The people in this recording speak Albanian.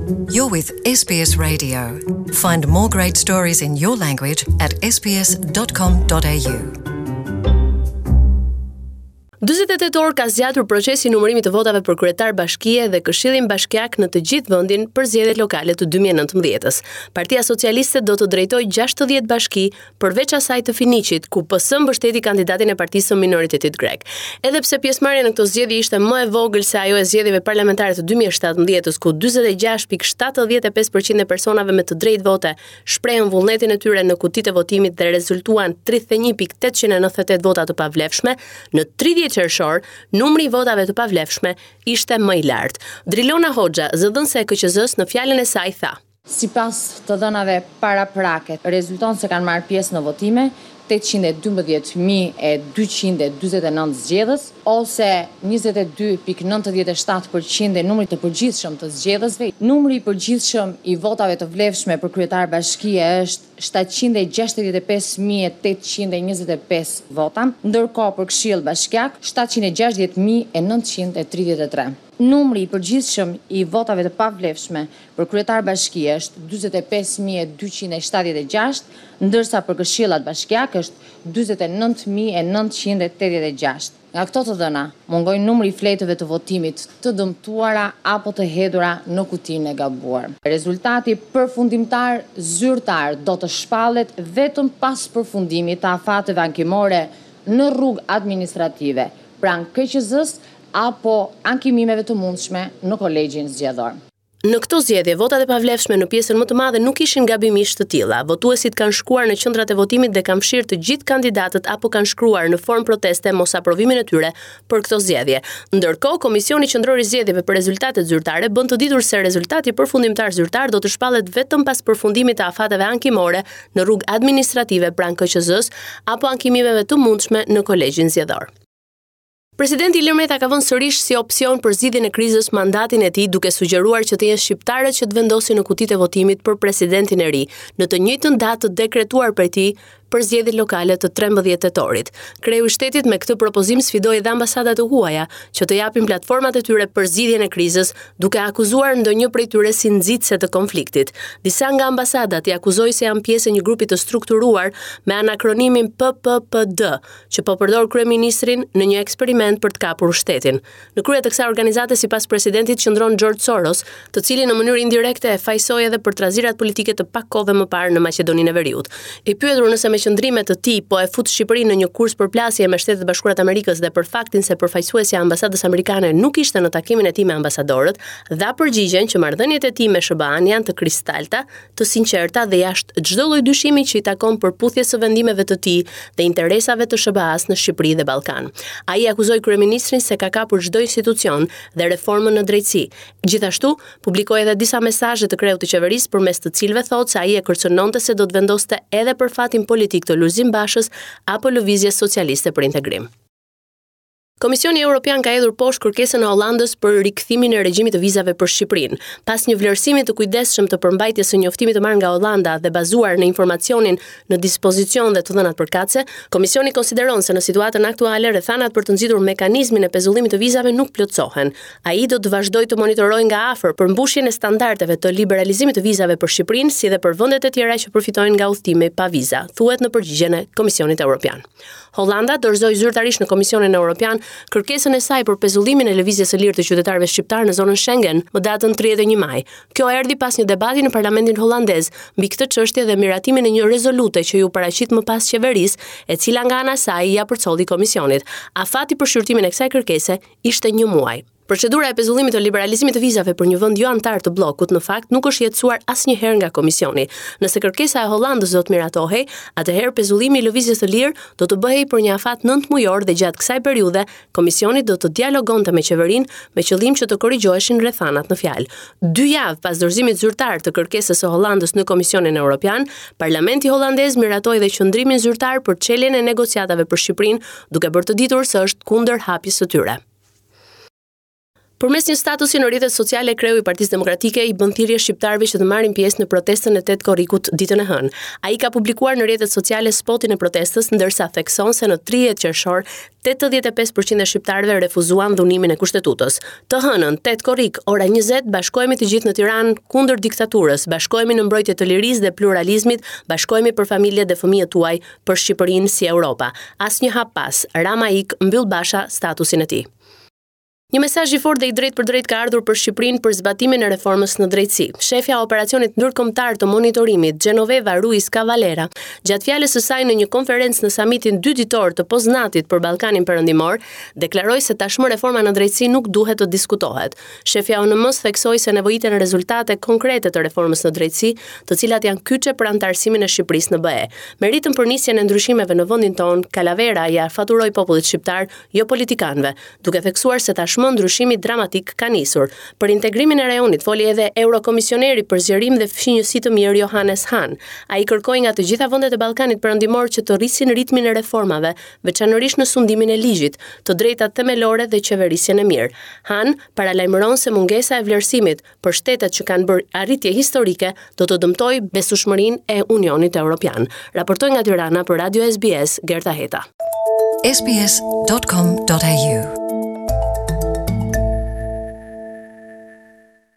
You're with SBS Radio. Find more great stories in your language at sbs.com.au. 48 orë ka zgjatur procesi i numërimit të votave për kryetar bashkie dhe këshillin bashkiak në të gjithë vendin për zgjedhjet lokale të 2019-ës. Partia Socialiste do të drejtojë 60 bashki, përveç asaj të Finiqit, ku PS mbështeti kandidatin e partisë së minoritetit grek. Edhe pse pjesëmarrja në këto zgjedhje ishte më e vogël se ajo e zgjedhjeve parlamentare të 2017-ës, ku 46.75% e personave me të drejtë vote shprehën vullnetin e tyre në kutitë e votimit dhe rezultuan 31.898 vota të pavlefshme, në 30 qershor numri i votave të pavlefshme ishte më i lartë. Drilona Hoxha, zëdhënëse e KQZ-së, në fjalën e saj tha: Sipas të dhënave paraprake, rezulton se kanë marrë pjesë në votime 812.249 zgjedhës, ose 22,97 për qind e numrit të përgjithshëm të zgjedhësve. Numri i përgjithshëm i votave të vlefshme për kryetar bashkie është 765.825 vota, ndërkohë për këshill bashkiak 760.933. Numri i përgjithshëm i votave të pavlefshme për kryetar bashkie është 45.276, ndërsa për këshillat bashkiak është 49.986. Nga këto të dhëna, mungojnë numri i fletëve të votimit të dëmtuara apo të hedhura në kutinë e gabuar. Rezultati përfundimtar zyrtar do të shpallet vetëm pas përfundimit të afateve ankimore në rrugë administrative, pranë KQZ-së apo ankimimeve të mundshme në Kolegjin Zgjedhor. Në këto zgjedhje, votat e pavlefshme në pjesën më të madhe nuk ishin gabimisht të tilla. Votuesit kanë shkuar në qendrat e votimit dhe kanë fshirë të gjithë kandidatët apo kanë shkruar në formë proteste mosaprovimin e tyre për këto zgjedhje. Ndërkohë, Komisioni Qendror i Zgjedhjeve për rezultatet zyrtare bën të ditur se rezultati përfundimtar zyrtar do të shpallet vetëm pas përfundimit të afateve ankimore në rrugë administrative pranë KQZ-së apo ankimimeve të mundshme në Kolegjin Zgjedhor. Presidenti Ilir Meta ka vënë sërish si opsion për zgjidhjen e krizës mandatin e tij, duke sugjeruar që të jenë shqiptarët që të vendosin në kutitë e votimit për presidentin e ri, në të njëjtën datë të dekretuar prej tij për zgjedhjet lokale të 13 tetorit. Kreu i shtetit me këtë propozim sfidoi edhe ambasadat e huaja që të japin platformat e tyre për zgjidhjen e krizës, duke akuzuar ndonjë prej tyre si nxitëse të konfliktit. Disa nga ambasadat i akuzoi se janë pjesë e një grupi të strukturuar me anakronimin PPPD, që po përdor kryeministrin në një eksperiment për të kapur shtetin. Në krye të kësaj organizate sipas presidentit qëndron George Soros, të cilin në mënyrë indirekte e fajësoi edhe për trazirat politike të pak kohëve më parë në Maqedoninë e Veriut. I pyetur nëse me qëndrime të tij po e fut Shqipërinë në një kurs përplasje me Shtetet e Bashkuara të Amerikës dhe për faktin se përfaqësuesja e ambasadës amerikane nuk ishte në takimin e tij me ambasadorët, dha përgjigjen që marrëdhëniet e tij me SHBA-n janë të kristalta, të sinqerta dhe jashtë çdo lloj dyshimi që i takon përputhjes së vendimeve të tij dhe interesave të SHBA-së në Shqipëri dhe Ballkan. Ai akuzoi kryeministrin se ka kapur çdo institucion dhe reformën në drejtësi. Gjithashtu, publikoi edhe disa mesazhe të kreut të qeverisë përmes të cilëve thotë se ai e kërcënonte se do të vendoste edhe për fatin politik të Lulzim Bashës apo Lëvizjes Socialiste për Integrim. Komisioni Europian ka hedhur poshtë kërkesën e Hollandës për rikthimin e regjimit të vizave për Shqipërinë. Pas një vlerësimi të kujdesshëm të përmbajtjes së njoftimit të marrë nga Hollanda dhe bazuar në informacionin në dispozicion dhe të dhënat përkatëse, Komisioni konsideron se në situatën aktuale rrethanat për të nxitur mekanizmin e pezullimit të vizave nuk plotësohen. Ai do të vazhdojë të monitorojë nga afër përmbushjen e standardeve të liberalizimit të vizave për Shqipërinë si dhe për vendet e tjera që përfitojnë nga udhëtimi pa viza, thuhet në përgjigjen e Komisionit Europian. Hollanda dorëzoi zyrtarisht në Komisionin Europian kërkesën e saj për pezullimin e lëvizjes së lirë të qytetarëve shqiptarë në zonën Schengen më datën 31 maj. Kjo erdhi pas një debati në parlamentin hollandez mbi këtë çështje dhe miratimin e një rezolute që iu paraqit më pas qeverisë, e cila nga ana e saj ia përcolli komisionit. Afati për shqyrtimin e kësaj kërkese ishte një muaj. Procedura e pezullimit të liberalizimit të vizave për një vend jo anëtar të bllokut në fakt nuk është jetësuar asnjëherë nga komisioni. Nëse kërkesa e Hollandës do të miratohej, atëherë pezullimi i lëvizjes së lirë do të bëhej për një afat 9 mujor dhe gjatë kësaj periudhe komisioni do të dialogonte me qeverinë me qëllim që të korrigjoheshin rrethanat në fjalë. Dy javë pas dorëzimit zyrtar të kërkesës së Hollandës në Komisionin Europian, Parlamenti hollandez miratoi dhe qëndrimin zyrtar për çeljen e negociatave për Shqipërinë, duke bërë të ditur se është kundër hapjes së tyre. Përmes një statusi në rrjetet sociale, kreu i Partisë Demokratike i bën thirrje shqiptarëve që të marrin pjesë në protestën e 8 korrikut ditën e hënë. Ai ka publikuar në rrjetet sociale spotin e protestës, ndërsa thekson se në 30 qershor 85% e shqiptarëve refuzuan dhunimin e Kushtetutës. Të hënën, 8 korrik, ora 20, bashkohemi të gjithë në Tiranë kundër diktaturës, bashkohemi në mbrojtje të lirisë dhe pluralizmit, bashkohemi për familjet dhe fëmijët tuaj, për Shqipërinë si Europa. Asnjë hap pas, Rama ik, mbyll Basha statusin e tij. Një mesazh i fortë dhe i drejtpërdrejtë ka ardhur për Shqipërinë për zbatimin e reformës në drejtësi. Shefja e operacionit ndërkombëtar të monitorimit, Genoveva Ruiz Cavalera, gjatë fjalës së saj në një konferencë në samitin dy ditor të Poznatit për Ballkanin Perëndimor, deklaroi se tashmë reforma në drejtësi nuk duhet të diskutohet. Shefja e ONM-së theksoi se nevojiten rezultate konkrete të reformës në drejtësi, të cilat janë kyçe për anëtarësimin e Shqipërisë në BE. Meritën për nisjen e ndryshimeve në vendin tonë, Calavera ia faturoi popullit shqiptar, jo politikanëve, duke theksuar se tashmë ndryshimi dramatik ka nisur. Për integrimin e rajonit foli edhe eurokomisioneri për zgjerim dhe fqinjësi të mirë Johannes Hahn. Ai kërkoi nga të gjitha vendet e Ballkanit Perëndimor që të rrisin ritmin e reformave, veçanërisht në sundimin e ligjit, të drejtat themelore dhe qeverisjen e mirë. Hahn paralajmëron se mungesa e vlerësimit për shtetet që kanë bërë arritje historike do të dëmtojë besueshmërinë e Unionit Evropian. Raportoi nga Tirana për Radio SBS Gerta Heta. sbs.com.au.